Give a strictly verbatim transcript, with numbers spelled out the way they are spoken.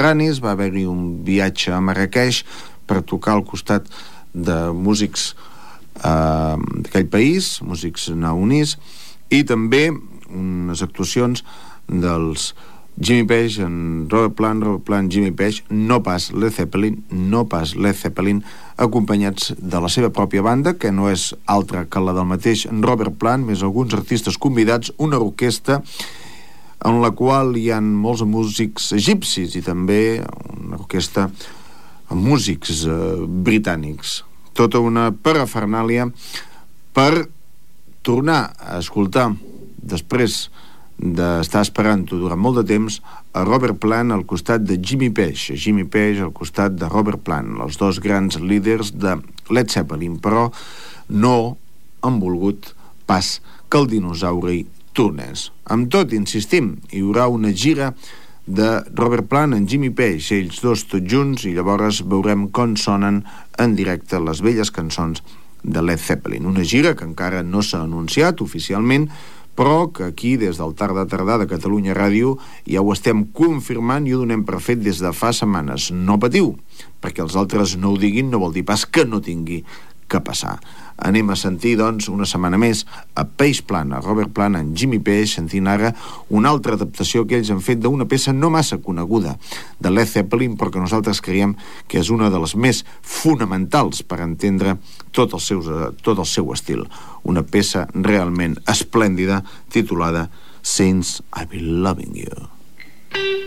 mediterranis. Va haver-hi un viatge a Marrakeix per tocar al costat de músics eh, d'aquell país, músics naonís, i també unes actuacions dels Jimmy Page, en Robert Plant, Robert Plant, Jimmy Page, no pas Led Zeppelin, no pas Led Zeppelin, acompanyats de la seva pròpia banda, que no és altra que la del mateix Robert Plant, més alguns artistes convidats, una orquestra en la qual hi ha molts músics egipcis i també una orquestra amb músics eh, britànics. Tota una parafernàlia per tornar a escoltar, després d'estar esperant-ho durant molt de temps, a Robert Plant al costat de Jimmy Page, Jimmy Page al costat de Robert Plant, els dos grans líders de Led Zeppelin, però no han volgut pas que el dinosauri tornés. Amb tot, insistim, hi haurà una gira de Robert Plant en Jimmy Page, ells dos tots junts, i llavors veurem com sonen en directe les velles cançons de Led Zeppelin. Una gira que encara no s'ha anunciat oficialment, però que aquí, des del Tarda Tardà de Catalunya Ràdio, ja ho estem confirmant i ho donem per fet des de fa setmanes. No patiu, perquè els altres no ho diguin no vol dir pas que no tingui que passar. Anem a sentir, doncs, una setmana més a Page Plant, a Robert Plant, en Jimmy Page, sentint ara una altra adaptació que ells han fet d'una peça no massa coneguda de Led Zeppelin, però que nosaltres creiem que és una de les més fonamentals per entendre tot el seu, tot el seu estil. Una peça realment esplèndida titulada Since I've Been Loving You.